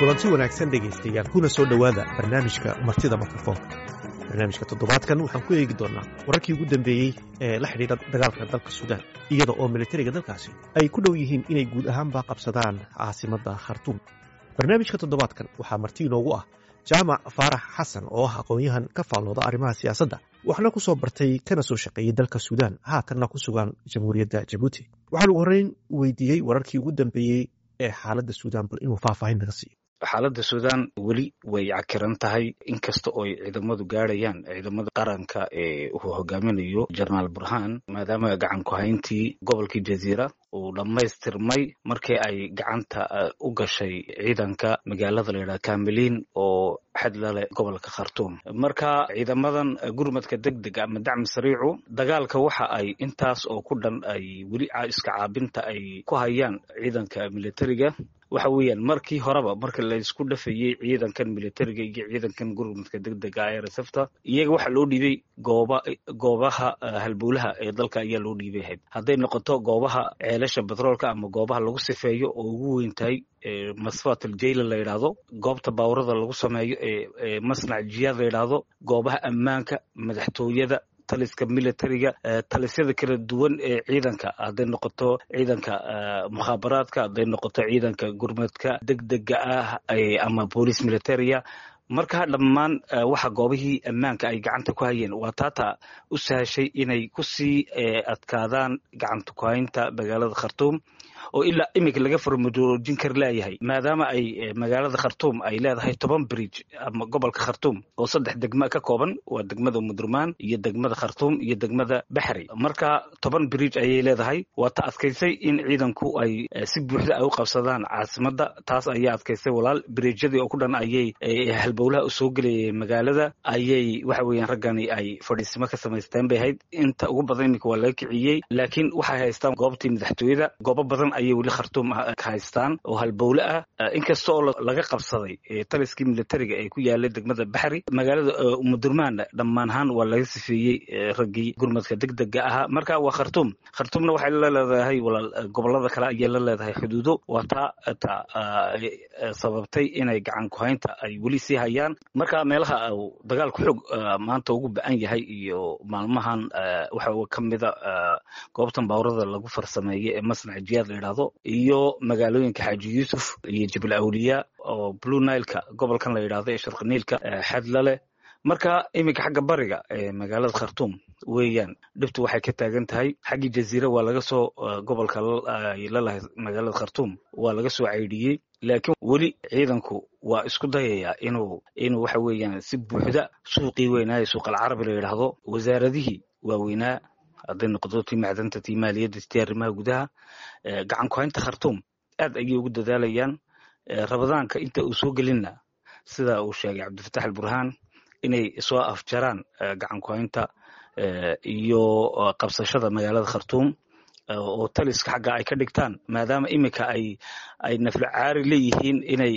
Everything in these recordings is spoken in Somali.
Kulanti wanaagsan, dhegaystayaal, kuna soo dhowaada barnaamijka Martida Mikrofoonka. Barnaamijka toddobaadkan waxaan ku eegi doonaa wararkii ugu dambeeyey ee la xidhiidha dagaalka dalka Suudaan, iyada oo militariga dalkaasi ay ku dhow yihiin inay guud ahaanba qabsadaan caasimadda Khartuum. Barnaamijka toddobaadkan waxaa marti inoogu ah Jaamac Faarax Xasan, oo ah aqoon-yahan ka faallooda arrimaha siyaasadda, waxna ku soo bartay kana soo shaqeeyey dalka Suudaan, haatanna ku sugan Jamhuuriyadda Jabuuti. Waxaan ugu horreyn weydiiyey wararkii ugu dambeeyey ee xaaladda Suudaan, bal inuu faahfaahin naga siiyo. Xaaladda Suudaan weli way cakiran tahay, inkasta ooy ciidamadu gaadhayaan, ciidamada qaranka ee uu hogaaminayo Jenaraal Burhaan, maadaama gacan ku-hayntii gobolkii Jaziira uu dhammaystirmay markii ay gacanta u gashay ciidanka magaalada la yidhaha Kamiliin oo xad la leh gobolka Khartuum. Marka ciidamadan gurmadka degdega ama dacmi sariicu dagaalka waxa ay intaas oo ku dhan ay weli iska caabinta ay ku hayaan ciidanka militariga. Waxa weeyaan, markii horeba marka laysku dhafayey ciidankan militariga iyo ciidankan gurmadka degdega ee RSFta, iyaga waxaa loo dhiibay gooba goobaha halbowlaha ee dalka ayaa loo dhiibay ahayd, hadday noqoto goobaha ceelasha batroolka ama goobaha lagu sifeeyo oo ugu weyn tahay Masfat Aljayla la yidhaahdo, goobta baawrada lagu sameeyo ee Masnac Jiyaad la yidhaahdo, goobaha ammaanka, madaxtooyada, taliska militariga, talisyada kala duwan ee ciidanka, hadday noqoto ciidanka mukhaabaraadka, hadday noqoto ciidanka gurmadka degdega ah ama boolice militaria. Marka dhammaan waxa goobihii ammaanka ay gacanta ku hayeen waa taata u sahashay inay kusii adkaadaan gacanta ku haynta magaalada Khartuum, oo ilaa iminka laga farmajoojin kar leeyahay, maadaama ay magaalada Khartuum ay leedahay 10 bridge, ama gobolka Khartuum oo saddex degma ka kooban, waa degmada Mudurmaan iyo degmada Khartuum iyo degmada Baxri. Marka 10 bridge ayay leedahay. Waa ta adkaysay in ciidanku ay si buuxda ay u qabsadaan caasimadda. Taas ayaa adkaysay, walaal. Bridgyadii oo ku dhan ayay halbowlaha usoo gelayay magaalada ayay waxa weeyaan raggani ay fadhiisimo ka samaysteen bay ahayd. Inta ugu badan iminka waa laga kiciyey, laakiin waxay haystaan goobtii madaxtooyada. Goobo badan ayay weli Khartuum ka haystaan oo halbowle ah, inkasta oo laga qabsaday taliskii militariga ee ku yaalay degmada Baxri. Magaalada Umudurmaanna dhammaan ahaan waa laga sifeeyey raggii gurmadka degdega ahaa. Marka waa Khartuum. Khartuumna waxay la leedahay, walaal, gobolada kale ayay la leedahay xuduudo. Waa taa ta sababtay inay gacan ku-haynta ay weli sii hayaan. Marka meelaha uu dagaalku xoog maanta ugu ba-an yahay iyo maalmahan waxa ka mida goobtan baawrada lagu farsameeye ee Masnac Jiyaad la yidhaahdo, iyo magaalooyinka Xaaji Yuusuf iyo Jabal Awliya oo Blue Nileka gobolkan la yidhahdo ee Sharqi Niilka xadla leh. Marka iminka xagga bariga ee magaalada Khartuum weeyaan dhibtu waxay ka taagan tahay. Xaggii Jaziira waa laga soo, gobolka ay lalahay magaalada Khartuum waa laga soo caydhiyey, laakiin weli ciidanku waa isku dayayaa inuu waxa weeyaan si buuxda suuqii weynaaye Suuq Alcarabi la yidhaahdo, wasaaradihii waaweynaa, hadday noqoto tii macdanta, tii maaliyadda, tii arrimaha gudaha. Gacan ku-haynta Khartuum aad ayay ugu dadaalayaan. Rabadaanka inta uu soo gelinna, sida uu sheegay Cabdifatax Alburhaan, inay soo afjaraan gacan ku-haynta iyo qabsashada magaalada Khartuum oo taliska xagga ay ka dhigtaan, maadaama iminka ay nafla caari leeyihiin inay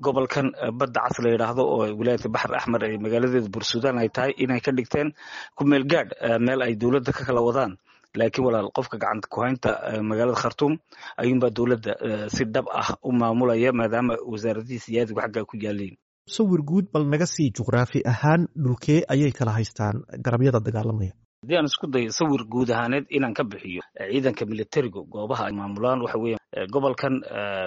gobolkan Badda Cas la yidhaahdo oo wilaayata Baxr Axmer ee magaaladeeda Bursudan ay tahay, inay ka dhigteen ku meel gaadh meel ay dowladda ka kala wadaan. Laakiin, walaal, qofka gacanta ku-haynta magaalada Khartuum ayuunbaa dowladda si dhab ah u maamulaya, maadaama wasaaradihii siyaadigu xaggaa ku yaaleen. Sawir guud bal naga sii, juqraafi ahaan dhulkee ayay kala haystaan garabyada dagaalamaya? Haddii aan isku dayo sawir guud ahaaneed inaan ka bixiyo ciidanka militarigu goobaha ay maamulaan, waxa weeya gobolkan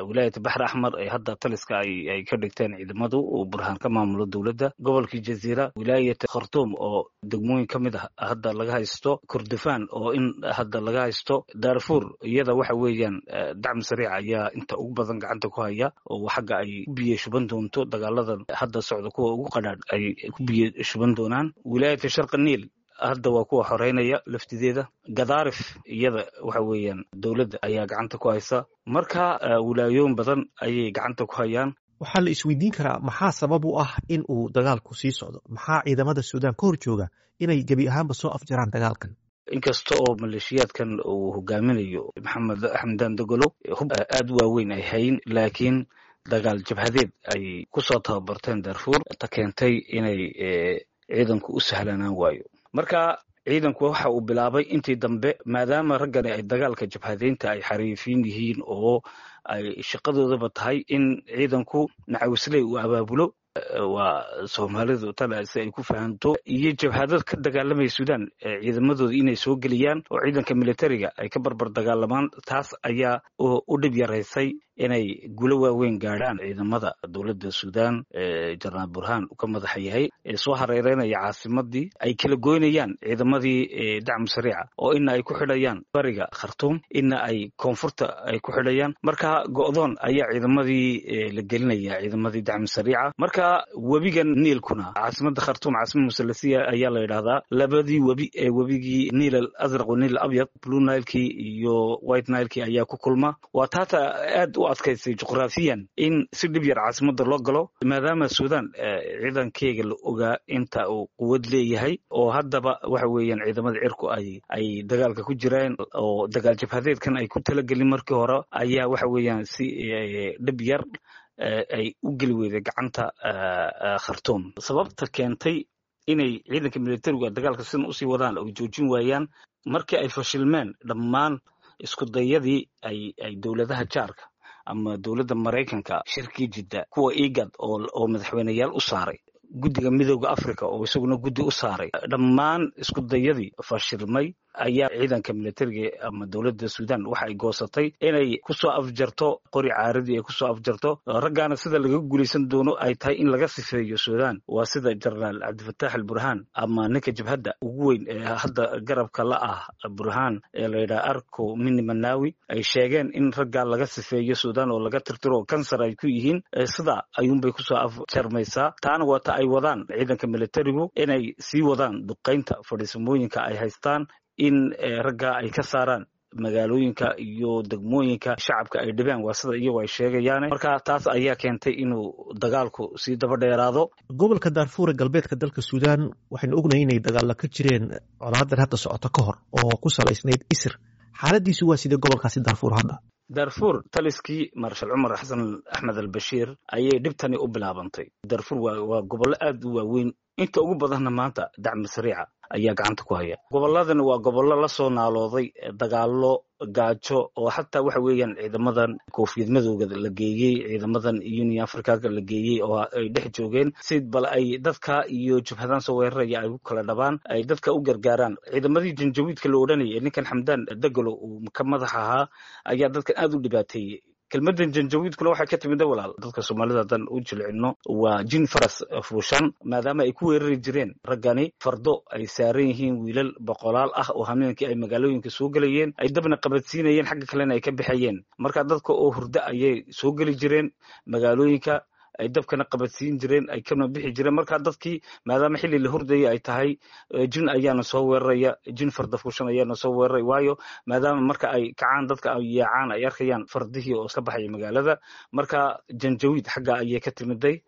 wilaayata Baxr Axmar ee hadda taliska ay ka dhigteen ciidamadu uu Burhaan ka maamulo dowladda, gobolkii Jaziira, wilaayata Khartuum oo degmooyin ka mid ah hadda laga haysto, Kordofaan oo in hadda laga haysto, Darfur iyada waxa weeyaan dacmi sariic ayaa inta ugu badan gacanta ku haya, oo xagga ay ku biyo shuban doonto dagaaladan hadda socda kuwa ugu qadhaadh ay ku biyo shuban doonaan. Wilaayata Sharqi Niil hadda waa kuwa xoreynaya laftideeda. Gadaarif iyada waxa weeyaan dowladda ayaa gacanta ku haysa. Marka wilaayooyin badan ayay gacanta ku hayaan. Waxaa la isweydiin karaa, maxaa sabab u ah in uu dagaalku sii socdo? Maxaa ciidamada Suudaan ka hor jooga inay gebi ahaanba soo afjaraan dagaalkan? Inkasta oo maleeshiyaadkan uu hogaaminayo Maxamed Xamdan Dogolo hub aad u waaweyn ay hayn, laakiin dagaal jabhadeed ay kusoo tababarteen Darfuur ta keentay inay ciidanku u sahlanaan waayo. Marka Ciidanku waxa uu bilaabay intii dambe, maadaama raggani ay dagaalka jabhadeynta ay xariifiin yihiin oo ay shaqadoodaba tahay in ciidanku macawisley uu abaabulo, waa Soomaalidu tana si ay ku fahanto, iyo jabhadad ka dagaalamaya Suudaan ciidamadooda inay soo geliyaan oo ciidanka militariga ay ka barbar dagaalamaan. Taas ayaa u dhib yaraysay inay guulo waaweyn gaadhaan ciidamada dowladda Suudaan, Jenaraal Burhaan ka madaxa yahay, ee soo hareereynaya caasimadii, ay kala goynayaan ciidamadii dacmu sariica, oo ina ay ku xidhayaan bariga Khartuum, ina ay koonfurta ay ku xidhayaan. Marka go'doon ayaa ciidamadii la gelinaya, ciidamadii dacmu sariica. Marka webigan Niilkuna, caasimada Khartuum caasimad musalasiya ayaa la yidhahdaa. Labadii webi ee webigii Niil al Azraq wa Niil al Abyad, Blue Nilekii iyo White Nilekii ayaa ku kulma. Waa taata aad u adkaysay juqraafiyan in si dhib yar caasimada loo galo, maadaama Suudaan ciidankeyga la ogaa inta uu quwad leeyahay, oo haddaba waxa weeyaan ciidamada cirku ay dagaalka ku jiraan oo dagaal jabhadeedkan ay ku talagelin markii hore, ayaa waxa weeyaan si dhib yar ay u geli weyday gacanta Khartuum. Sababta keentay inay ciidanka militarigu dagaalka sidan usii wadaan oo joojin waayaan, markii ay fashilmeen dhammaan isku dayadii ay dowladaha jaarka ama dowladda Maraykanka, shirkii Jidda, kuwa IGAD oo madaxweyneyaal u saaray, guddiga Midooda Africa oo isaguna guddi u saaray, dhammaan isku dayadii fashilmay, ayaa ciidanka militariga ama dowladda Suudaan waxa ay goosatay inay kusoo afjarto qori caaradii, ay kusoo afjarto raggaana. Sida laga guulaysan doono ay tahay in laga sifeeyo Suudaan, waa sida Jenaraal Cabdifataax al Burhaan ama ninka jabhadda ugu weyn ee hadda garabka la ah Burhaan ee la yidhaha Arko Mini Manawi ay sheegeen in raggaa laga sifeeyo Suudaan oo laga tirtiro, kansar ay ku yihiin. Sida ayuunbay kusoo afjarmaysaa. Taana waata ay wadaan ciidanka militarigu, inay sii wadaan duqaynta fadhiisamooyinka ay haystaan, in raggaa ay ka saaraan magaalooyinka iyo degmooyinka shacabka ay dhibeen, waa sida iyagu ay sheegayaan. Marka taas ayaa keentay inuu dagaalku sii daba dheeraado. Gobolka Daarfuur ee galbeedka dalka Suudaan waxaynu ognahay inay dagaalla ka jireen colaadan hadda socoto ka hor, oo ku salaysnayd isir. Xaaladiisu waa sidee gobolkaasi Daarfuur hadda? Darfur taliskii Marshal Cumar Xasan Axmed Albashiir ayay dhibtani u bilaabantay. Darfur waa gobollo aad u waaweyn, inta ugu badanna maanta dacmi sariica ayaa gacanta ku haya. Gobolladani waa gobollo la soo naalooday dagaallo, gaajo, oo xataa waxa weeyaan ciidamadan koofiyad madowga la geeyey, ciidamadan Union Africaga la geeyey, oo ay dhex joogeen si bal ay dadka iyo jabhadan soo weeraraya ay u kala dhabaan, ay dadka u gargaaraan. Ciidamadii Janjawiidka la odhanayay ee ninkan Xamdaan Dagalo uu ka madax ahaa ayaa dadkan aad u dhibaateeyey. Kelmaddan janjawiidkuna waxay ka timida, walaal, dadka Soomaalida haddaan u jilcino, waa jin faras fuushan, maadaama ay ku weerari jireen raggani fardo ay saaran yihiin wiilal boqolaal ah, oo hameenkii ay magaalooyinka soo gelayeen, ay dabna qabadsiinayeen, xagga kalena ay ka bixayeen. Marka dadka oo hurdo ayay soo geli jireen magaalooyinka, ay dabkana qabadsiin jireen, ay kana bixi jireen. Marka dadkii, maadaama xilli la hurdaya ay tahay, jin ayaana soo weeraraya, jin farda fuushan ayaana soo weeraray, waayo maadaama marka ay kacaan dadka ay yaacaan, ay arkayaan fardihii oo iska baxaya magaalada. Marka janjawiid xagga ayay ka timiday.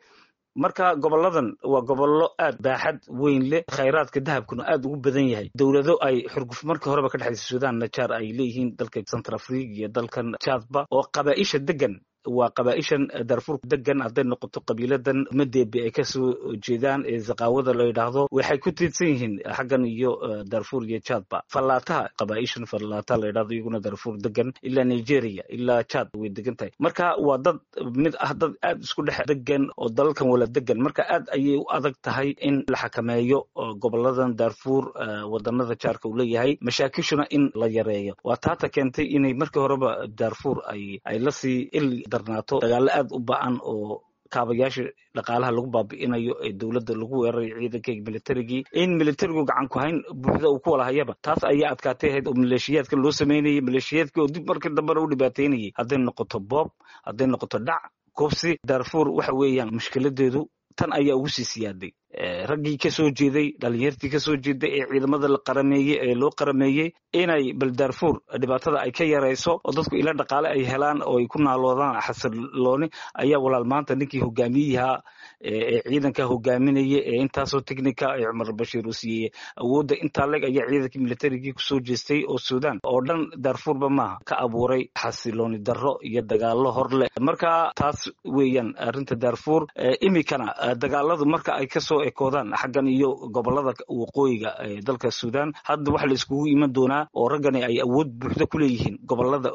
Marka goboladan waa gobollo aad baaxad weyn leh, khayraadka dahabkuna aad ugu badan yahay. Dowlado ay xurguf markii horeba ka dhexaysa Suudaan, najaar ay leeyihiin dalka Central Africa iyo dalkan Chadba, oo qabaaisha degan waa qabaaishan Darfur degan, hadday noqoto qabiiladan Madeebe ay kasoo jeedaan ee Zaqaawada la yidhaahdo, waxay ku tiirsan yihiin xaggan iyo Darfur iyo Chadba. Fallaataha, qabaaishan Fallaataha la yidhahdo, iyaguna Darfur degan, ilaa Nigeria ilaa Chad way degan tahay. Marka waa dad mid ah, dad aad isku dhex degan oo dalalkan wala degan. Marka aad ayay u adag tahay in la xakameeyo goboladan Darfur, wadanada jaarka uu leeyahay, mashaakishuna in la yareeyo. Waa taata keentay inay markii horeba Darfur ay lasii il darnaato dagaallo aad u ba-an oo kaabayaasha dhaqaalaha lagu baabi'inayo, ee dowladda lagu weerarayo, ciidanka militarigii, in militarigu gacan ku hayn buuxda uu ku wala hayaba. Taas ayaa adkaatay ahayd oo maleeshiyaadka loo sameynayay, maleeshiyaadkii oo dib markii dambena u dhibaateynayay, hadday noqoto boob, hadday noqoto dhac, kobsi. Darfur waxa weeyaan mushkiladeedu tan ayaa ugu sii siyaaday. Raggii ka soo jeeday, dhalinyartii ka soo jeeday ee ciidamada la qarameeyey ee loo qarameeyey inay bal Darfur dhibaatada ay ka yarayso oo dadku ila dhaqaale ay helaan oo ay ku naaloodaan xasilooni, ayaa walaal maanta ninkii hogaamiyaha ee ciidanka hogaaminaya ee intaasoo technica ee Cumar Bashiir uu siiyey awoodda intaa leeg, ayaa ciidankii militarigii kusoo jeestay oo Suudaan oo dhan, Darfurba maaha, ka abuuray xasilooni darro iyo dagaallo hor leh. Marka taas weeyaan arrinta Darfur. Imikana dagaaladu marka ay kasoo ekoodaan xaggan iyo gobolada waqooyiga dalka Sudan. Hadda waxa la iskugu iman doonaa oo raggani ay awood buuxda ku leeyihiin gobolada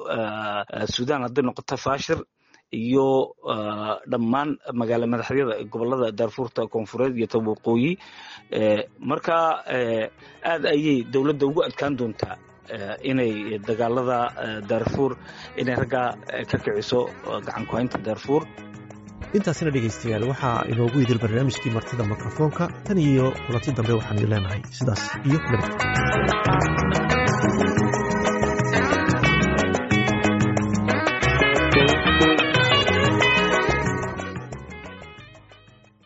Sudan, hadday noqoto Fashir iyo dhammaan magaala madaxyada gobolada Daarfuurta Koonfureed iyo ta waqooyi. Marka aad ayay dowladda ugu adkaan doontaa inay dagaalada Daarfuur, inay raggaa ka kiciso gacan ku-haynta Daarfuur. Intaasina dhegaystayaal waxaa inoogu idil barnaamijkii martida mikrofoonka. Tan iyo kulanti dambe waxaan idin leenahay sidaas iyo nabad.